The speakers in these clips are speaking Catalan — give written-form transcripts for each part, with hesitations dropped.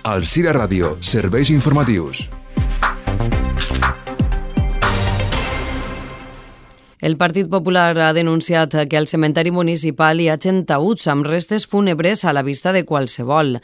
Alzira Ràdio, serveis informatius. El Partit Popular ha denunciat que al cementeri municipal hi ha taüts amb restes fúnebres a la vista de qualsevol.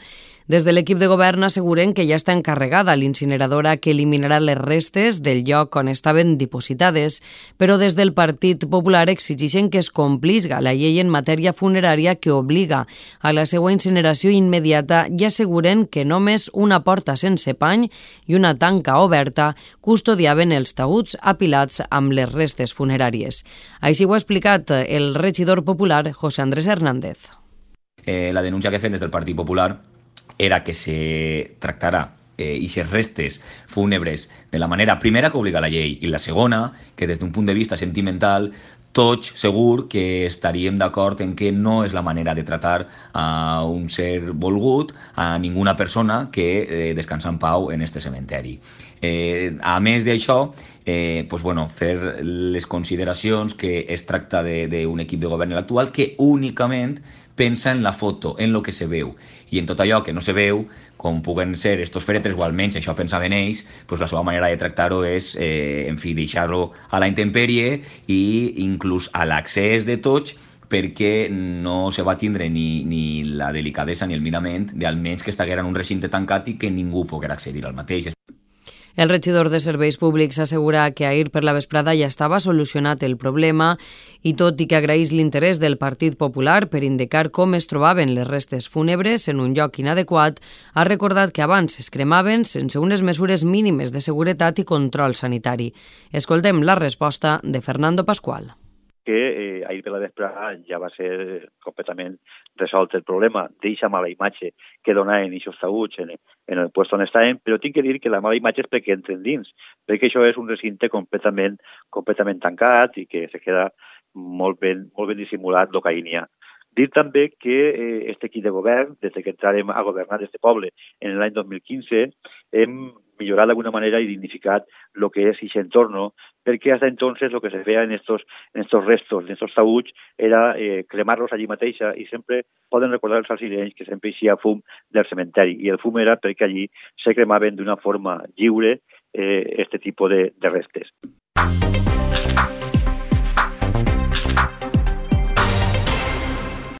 Des de l'equip de govern asseguren que ja està encarregada l'incineradora que eliminarà les restes del lloc on estaven dipositades, però des del Partit Popular exigeixen que es complisga la llei en matèria funerària que obliga a la seva incineració immediata i asseguren que només una porta sense pany i una tanca oberta custodiaven els taüts apilats amb les restes funeràries. Així ho ha explicat el regidor popular José Andrés Hernández. La denúncia que fem des del Partit Popular era que se tractarà eixes restes fúnebres de la manera primera que obliga la llei i la segona, que des d'un punt de vista sentimental tots segur que estaríem d'acord en que no és la manera de tratar a un ser volgut, a ninguna persona que descansa en pau en este cementeri. A més d'això, fer les consideracions que es tracta d'un equip de govern actual que únicament pensa en la foto, en lo que se veu. I en tot allò que no se veu, com puguen ser estos fèretres, o almenys això pensaven ells, la seva manera de tractar-ho és, deixar-lo a la intempèrie i inclús a l'accés de tots, perquè no se va tindre ni la delicadesa ni el mirament d'almenys que estiguera en un recinte tancat i que ningú poguera accedir al mateix. El regidor de Serveis Públics assegura que ahir per la vesprada ja estava solucionat el problema i tot i que agraeix l'interès del Partit Popular per indicar com es trobaven les restes fúnebres en un lloc inadequat, ha recordat que abans es cremaven sense unes mesures mínimes de seguretat i control sanitari. Escoltem la resposta de Fernando Pascual. Que ahir per la vesprada ja va ser completament resolt el problema d'eixa mala imatge que donaven aquests taüts en el lloc on estaven, però tinc que dir que la mala imatge és perquè entren dins, perquè això és un recinte completament tancat i que se queda molt ben dissimulat el que hi ha. Dir també que aquest equip de govern, des que entrarem a governar aquest poble en l'any 2015, hem millorat d'alguna manera i dignificat el que és aquest entorn, perquè fins entonces el que se feia en estos restos, en estos taüts, era cremar-los allí mateixa i sempre poden recordar els alcirenys que sempre eixia fum del cementeri i el fum era perquè allí se cremaven d'una forma lliure aquest tipus de restes.